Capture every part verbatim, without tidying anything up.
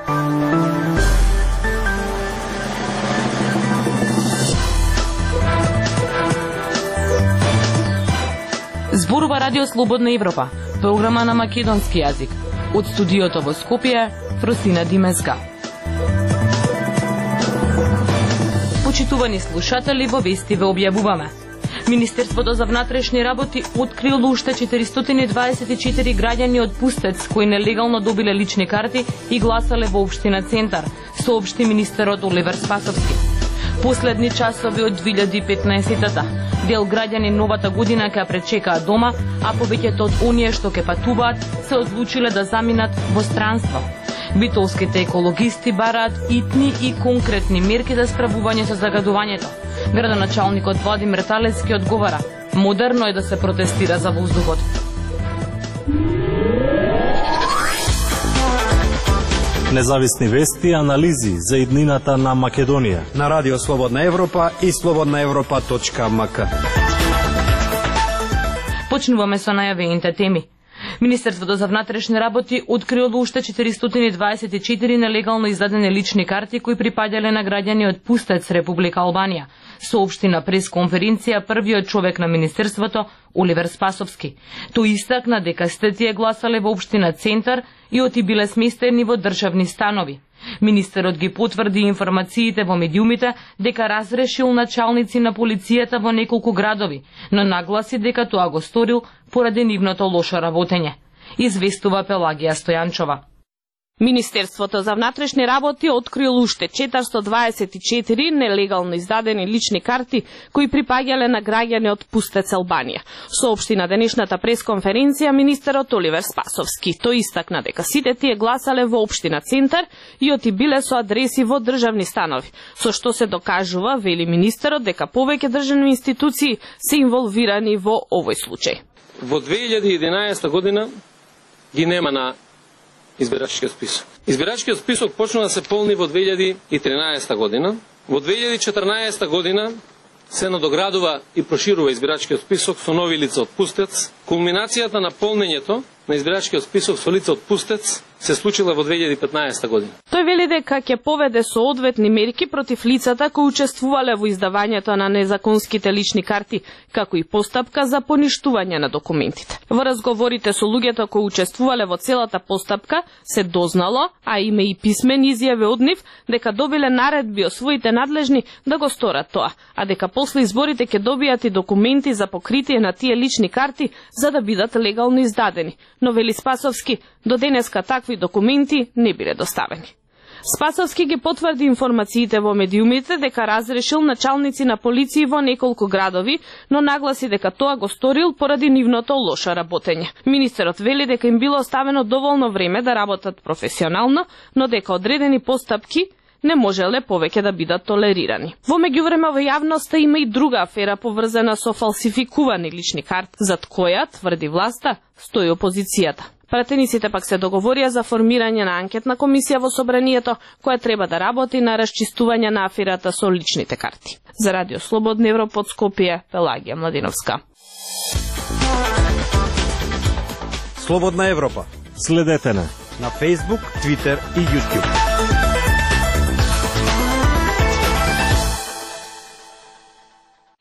Зборува Радио Слободна Европа, програма на македонски јазик. Од студиото во Скопје, Фросина Димеска. Почитувани слушатели, во вести ве објавуваме. Министерството за внатрешни работи открило уште четиристотини дваесет и четири граѓани од Пустец кои нелегално добиле лични карти и гласале во општина Центар, соопшти министерот Оливер Спасовски. Последни часови од две илјади и петнаесетта. Дел граѓани новата година ќе пречекаат дома, а повеќето од оние што ќе патуваат се одлучиле да заминат во странство. Битолските екологисти бараат итни и конкретни мерки за справување со загадувањето. Градоначалникот Владимир Талецки одговара: модерно е да се протестира за воздухот. Независни вести и анализи за иднината на Македонија на Радио Слободна Европа и слободна европа точка ем ка. Почнуваме со најавените теми. Министерството за внатрешни работи открило уште четиристотини дваесет и четири нелегално издадени лични карти кои припаѓале на граѓани од Пустец, Република Албанија, соопшти на пресконференција првиот човек на Министерството Оливер Спасовски. Тој истакна дека сите тие гласале во општина Центар и оти биле сместени во државни станови. Министерот ги потврди информациите во медиумите дека разрешил началници на полицијата во неколку градови, но нагласи дека тоа го сторил поради нивното лошо работење. Известува Пелагија Стојанчова. Министерството за внатрешни работи открило уште четиристотини дваесет и четири нелегално издадени лични карти кои припаѓале на граѓани од Пустец, Албанија. Соопшти на денешната пресконференција министерот Оливер Спасовски. Тој истакна дека сите тие гласале во општина Центар и оти биле со адреси во државни станови, со што се докажува, вели министерот, дека повеќе државни институции се инволвирани во овој случај. Во две илјади и единаесетта година ги нема на избирачкиот список. Избирачкиот список почна да се полни во две илјади и тринаесетта година. Во две илјади и четрнаесетта година се надоградува и проширува избирачкиот список со нови лица од Пустец. Кулминацијата на полнењето на избирачкиот список со лица од Пустец се случила во две илјади и петнаесетта година. Тој вели дека ќе поведе соодветни мерки против лицата кои учествувале во издавањето на незаконските лични карти, како и постапка за поништување на документите. Во разговорите со луѓето кои учествувале во целата постапка се дознало, а има и писмени изјави од нив, дека добиле наредби од своите надлежни да го сторат тоа, а дека после изборите ќе добијат и документи за покритие на тие лични карти за да бидат легално издадени. Но вели Спасовски, до денеска такви документи не биле доставени. Спасовски ги потврди информациите во медиумите дека разрешил началници на полиции во неколку градови, но нагласи дека тоа го сторил поради нивното лошо работење. Министерот вели дека им било оставено доволно време да работат професионално, но дека одредени постапки не можеле повеќе да бидат толерирани. Во меѓувреме во јавноста има и друга афера поврзана со фалсификувани лични карти, зад која, тврди власта, стои опозицијата. Пратениците пак се договорија за формирање на анкетна комисија во собранието, која треба да работи на расчистување на аферата со личните карти. За Радио Слободна Европа од Скопје, Пелагија Младиновска. Слободна Европа. Следете на на Facebook, Twitter и YouTube.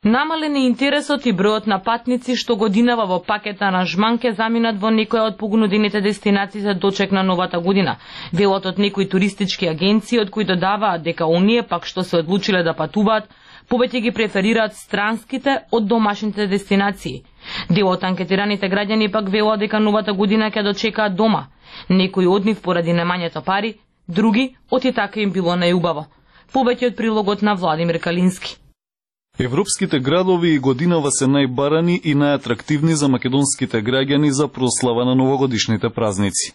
Намален е интересот и бројот на патници што годинава во пакет аранжман ке заминат во некоја од погнудените дестинации за дочек на новата година. Делот од некои туристички агенции од кои додаваат дека оние пак што се одлучиле да патуваат, повеќе ги преферираат странските од домашните дестинации. Дел од анкетираните граѓани пак велат дека новата година ќе дочекаат дома. Некои од нив поради немањето пари, други оти така им било најубаво. Повеќе од прилогот на Владимир Калински. Европските градови и годинава се најбарани и најатрактивни за македонските граѓани за прослава на новогодишните празници.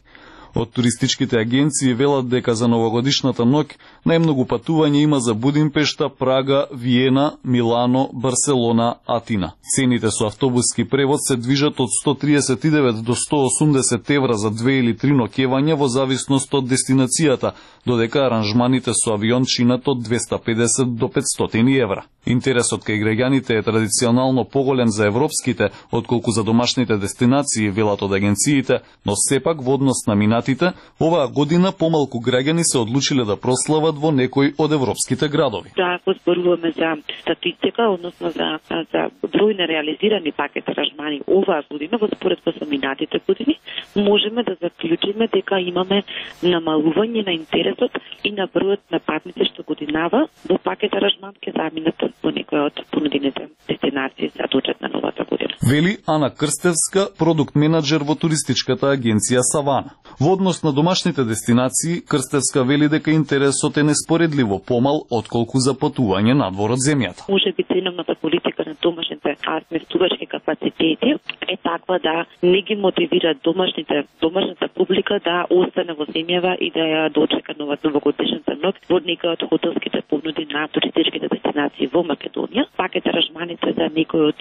Од туристичките агенции велат дека за новогодишната ноќ најмногу патување има за Будимпешта, Прага, Виена, Милано, Барселона, Атина. Цените со автобуски превоз се движат од сто триесет и девет до сто осумдесет евра за две или три ноќевања во зависност од дестинацијата, додека аранжманите со авион чинат од двесте и педесет до петстотини евра. Интересот кај граѓаните е традиционално поголем за европските, отколку за домашните дестинации, велат од агенциите, но сепак во однос на минатите поминатите, оваа година помалку граѓани се одлучиле да прослават во некои од европските градови. Да, ако зборуваме за статистика, односно за, за број на реализирани пакет аранжмани оваа година во според со поминатите години, можеме да заклучиме дека имаме намалување на интересот и на бројот на патници што годинава во пакет аранжман ке заминат во некои од понудените дестинации за дочет на новата година. Вели Ана Крстевска, продукт менаџер во туристичката агенција Савана. Во однос на домашните дестинации, Крстевска вели дека интересот е неспоредливо помал отколку за патување надвор од земјата. Може би ценовната политика на домашните сместувачки капацитети е таква да не ги мотивира домашните домашната публика да остане во земјава и да ја дочека новата новогодишната ноќ во некои од хотелските понуди на туристичките дестинации во Македонија. Пакет аранжманите за некои од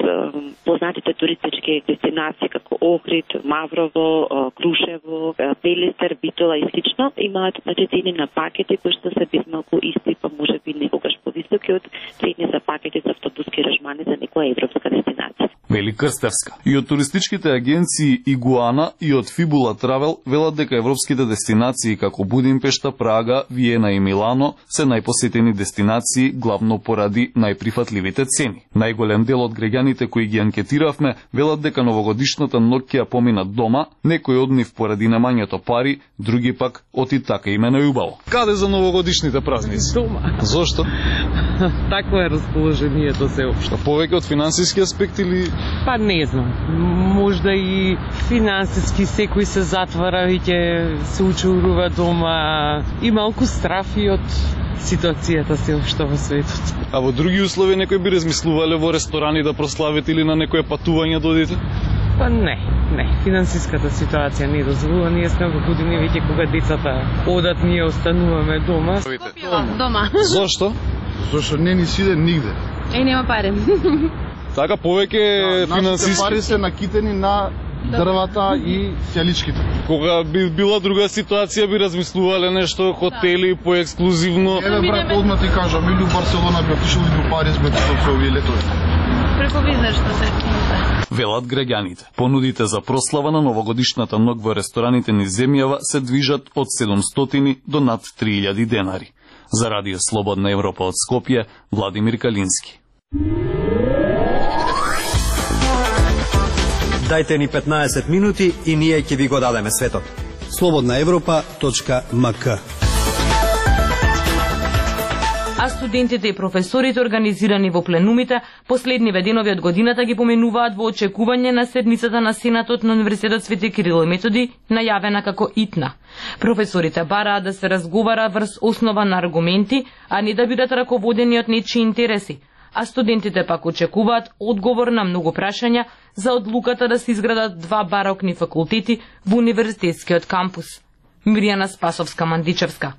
познатите туристички дестинации како Охрид, Маврово, Крушево, Пелестер, Битола и слично имаат значи цени на пакети кои што се без малку исти, па може би некогаш повисоки од цени за пакети за автобуски аранжмани за некоја европска дестинација. Вели Крстевска. И од туристичките агенции Игуана и од Фибула Травел велат дека европските дестинации како Будимпешта, Прага, Виена и Милано се најпосетени дестинации главно поради најприфатливите цени. Најголем дел од граѓаните кои ги анкетиравме велат дека новогодишната ноќ ќе ја поминат дома, некои од нив поради немањето пари, други пак оти така им е најубаво. Каде за новогодишните празници? Дома. Зошто? Такво е расположението се општо. Повеќе од финансиски аспект или? Па не знам. Можда и финансиски секој се затвара и ќе се учурува дома и малку страф и од ситуацијата се општо во светот. А во други услови некој би размислувале во ресторани да прославите или на некое патување да одите? Па не, не. Финансиската ситуација не дозволува. Ние сме во години веќе кога децата одат, ние остануваме дома. Дома. Зошто? Зошто не ни сиде нигде. Е, нема пари. Така повеќе да, финансиски пари се накитени на дрвата и сјаличките. Кога би била друга ситуација би размислувале нешто, хотели по ексклузивно. Еве брат, одма ти кажам, или у Барселона би отишол или у Париз би отишол со овие летови. Преку бизнес што се велат граѓаните. Понудите за прослава на новогодишната ноќ во рестораните низ земјава се движат од седумстотини до над три илјади денари. За Радио Слободна Европа од Скопје, Владимир Калински. Дајте ни петнаесет минути и ние ќе ви го дадеме светот. слободна европа точка ем ка. А студентите и професорите организирани во пленумите последниве денови од годината ги поменуваат во очекување на седмицата на Сенатот на Универзитетот Свети Кирил и Методи, најавена како ИТНА. Професорите бараат да се разговара врз основа на аргументи, а не да бидат раководени од нечии интереси. А студентите пак очекуваат одговор на многу прашања за одлуката да се изградат два барокни факултети во универзитетскиот кампус. Мирјана Спасовска-Мандичевска.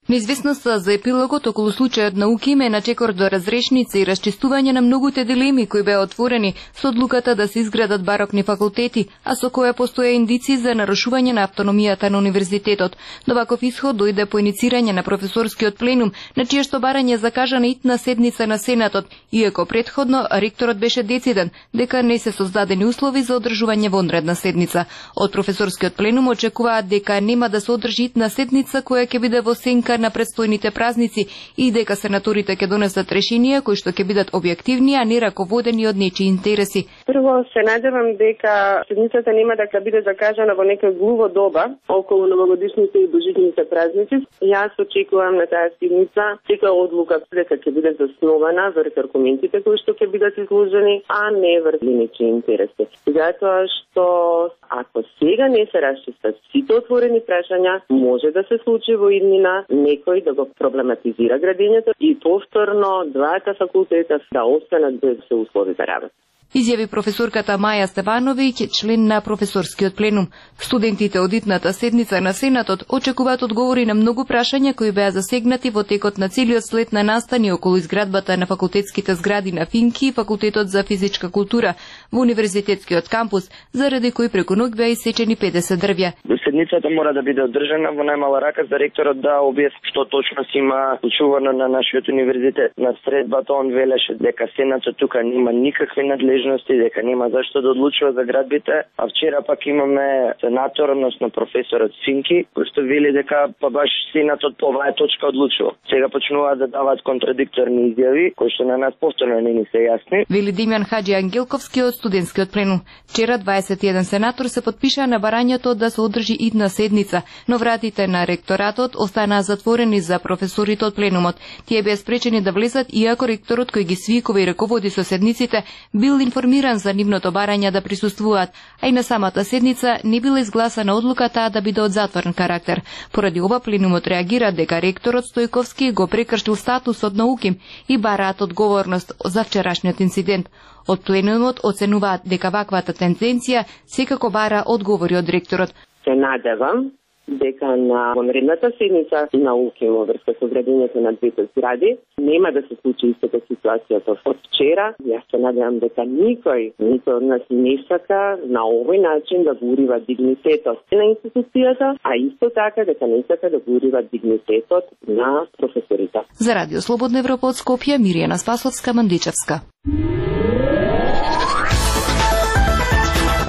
Неизвестноста за епилогот околу случајот на УКИМ е на чекор до разрешница и расчистување на многуте дилеми кои беа отворени со одлуката да се изградат барокни факултети, а со која постоја индици за нарушување на автономијата на универзитетот. Доваков исход дојде по иницирање на професорскиот пленум, на чие што барање закажа на итна седница на Сенатот, иако предходно ректорот беше дециден дека не се создадени услови за одржување вонредна седница. Од професорскиот пленум очекуваат дека нема да се одржи итна седница која ќе биде во сенка на предстојните празници и дека сенаторите ќе донесат решенија кои што ќе бидат објективни, а не раководени од нечии интереси. Прво се надевам дека седницата нема да биде закажана во нека глуво доба околу новогодишните и божитните празници. Јас очекувам на таа седница секоја одлука дека ќе биде заснована врз аргументите кои што ќе бидат изложени, а не врз нечии интереси. Затоа што ако сега не се расчистат сите отворени прашања, може да се случи во иднина некој да го проблематизира градењето и повторно двата факултета да останат без се услови за работа. Изјави професорката Маја Стевановиќ, член на професорскиот пленум. Студентите од итната седница на Сенатот очекуваат одговори на многу прашања кои беа засегнати во текот на целиот след на настани околу изградбата на факултетските згради на Финки и Факултетот за физичка култура во универзитетскиот кампус, заради кои преку ноќ беа исечени педесет дрвја. седницата мора да биде одржана во најмала рака за ректорот да објасни што точно си има случувано на нашиот универзитет. На средбата он велеше дека Сенатот тука нема никакви надлежности, дека нема зашто да одлучува за градбите, а вчера пак имаме сенатор, односно професорот Синки, кој што вели дека па баш Сенатот по оваа точка одлучува. Сега почнуваат да даваат контрадикторни изјави, кои што на нас повторно не ни се јасни. Вели Димјан Хаџи Ангелковски од студентскиот пленум. Вчера дваесет и еден сенатор се потпишаа на барањето да се одржи идна седница, но вратите на ректоратот останаа затворени за професорите од пленумот. Тие беа спречени да влезат, иако ректорот кој ги свикува и раководи со седниците бил информиран за нивното барање да присуствуваат, а и на самата седница не била изгласана одлуката да биде од затворен карактер. Поради ова пленумот реагира дека ректорот Стојковски го прекршил статусот на УКИМ и бараат одговорност за вчерашниот инцидент. Од пленумот оценуваат дека ваквата тенденција секако бара одговори од ректорот. Се надевам дека на вонредната седница на УКИМ во врска со градењето на двете згради нема да се случи истата ситуација од вчера. Јас се надевам дека никој, никој од нас не сака на овој начин да го урива дигнитетот на институцијата, а исто така дека не сака да го урива дигнитетот на професорите. За Радио Слободна Европа од Скопје, Миријана Спасовска, Мандичевска.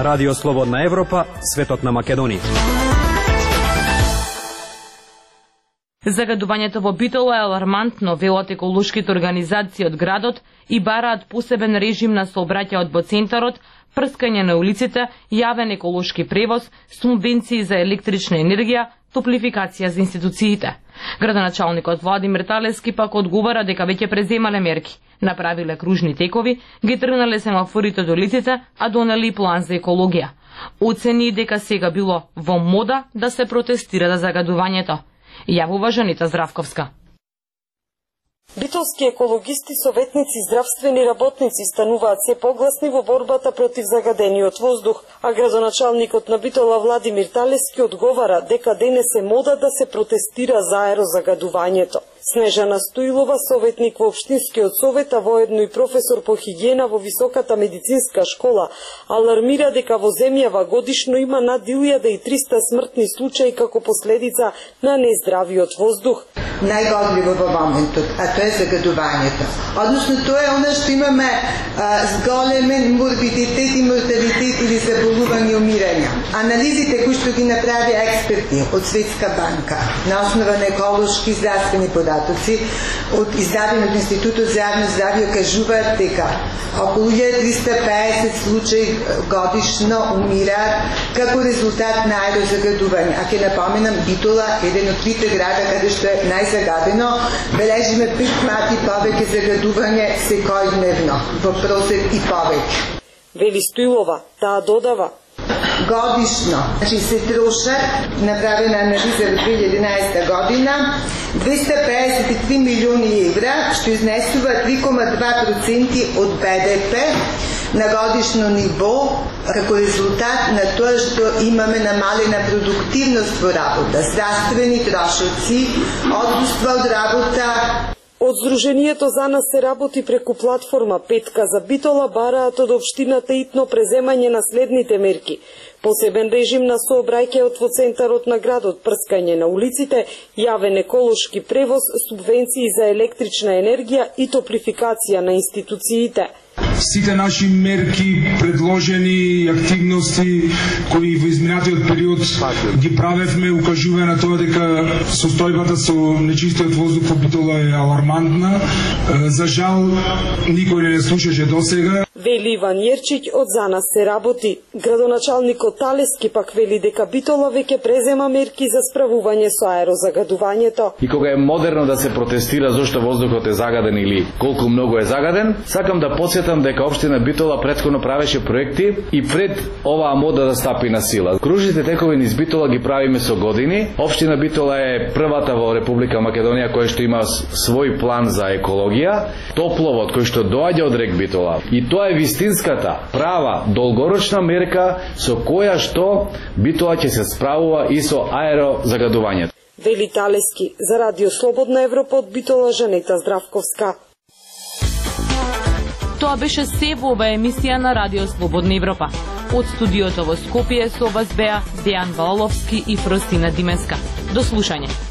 Радио Слободна Европа, светот на Македонија. Загадувањето во Битола е алармантно, велат еколошките организации од градот и бараат посебен режим на сообраќајот во центарот, прскање на улиците, јавен еколошки превоз, субвенции за електрична енергија, топлификација за институциите. Градоначалникот Владимир Талески пак одговара дека веќе преземале мерки, направиле кружни текови, ги тргнале семафорите до улиците, а донели и план за екологија. Оцени дека сега било во мода да се протестира за загадувањето. Јавува Жанита Здравковска. Битолски екологисти, советници и здравствени работници стануваат се погласни во борбата против загадениот воздух, а градоначалникот на Битола Владимир Талески одговара дека денес е мода да се протестира за аерозагадувањето. Снежана Стоилова, советник во Општинскиот совет, а воедно и професор по хигиена во Високата медицинска школа, алармира дека во земјава годишно има над илјада и триста смртни случаи како последица на нездравиот воздух. Најгодливо во моментот, а тоа е загадувањето. Односно, тоа е оно што имаме а, зголемен морбидитет и морталитет или заболување и умирање. Анализите кои што ги направи експерти од Светска банка на основа на еколошки здравствени податоци од издадени од Институтот за јавно здравје кажуваат дека околу илјада триста и песет случаи годишно умираат како резултат на аерозагадување. А ќе напоменам, Битола е еден од трите града каде што е најзагадено, бележиме пет пати повеќе загадување секојдневно, во просек и повеќе. Вели Стоилова, таа додава: годишно, значи се трошат, направена анализа во две илјади и единаесета година, двеста педесет и три милиони евра, што изнесува три кома два проценти од Б Д П на годишно ниво, како резултат на тоа што имаме намалена продуктивност во работа, здравствени трошоци, отсуство од работа. Од Сдруженијето за нас се работи преку платформа Петка за Битола, бараат од општината итно преземање на следните мерки: посебен режим на сообраќајот во центарот на градот, прскање на улиците, јавен еколошки превоз, субвенции за електрична енергија и топлификација на институциите. Сите наши мерки, предложени и активности кои во изминатиот период ги правевме, укажува на тоа дека состојбата со нечистиот воздух во Битола е алармантна. За жал, никој не слушаше досега. Вели Иван Јерчиќ од За нас се работи. Градоначалникот Талески пак вели дека Битола веќе презема мерки за справување со аерозагадувањето. И кога е модерно да се протестира зошто воздухот е загаден или колку многу е загаден, сакам да подсетам дека општина Битола претходно правеше проекти и пред оваа мода да стапи на сила. Кружните текови низ Битола ги правиме со години. Општина Битола е првата во Република Македонија која што има свој план за екологија, топловод кој што доаѓа од рек Битола. И тоа е вистинската, права, долгорочна мерка со која што Битола ќе се справува и со аерозагадувањето. Вели Талески. За Радио Слободна Европа од Битола, Жанета Здравковска. Тоа беше се во оваа емисија на Радио Слободна Европа. Од студиото во Скопје со вас беа Дејан Валовски и Фростина Дименска. До слушање.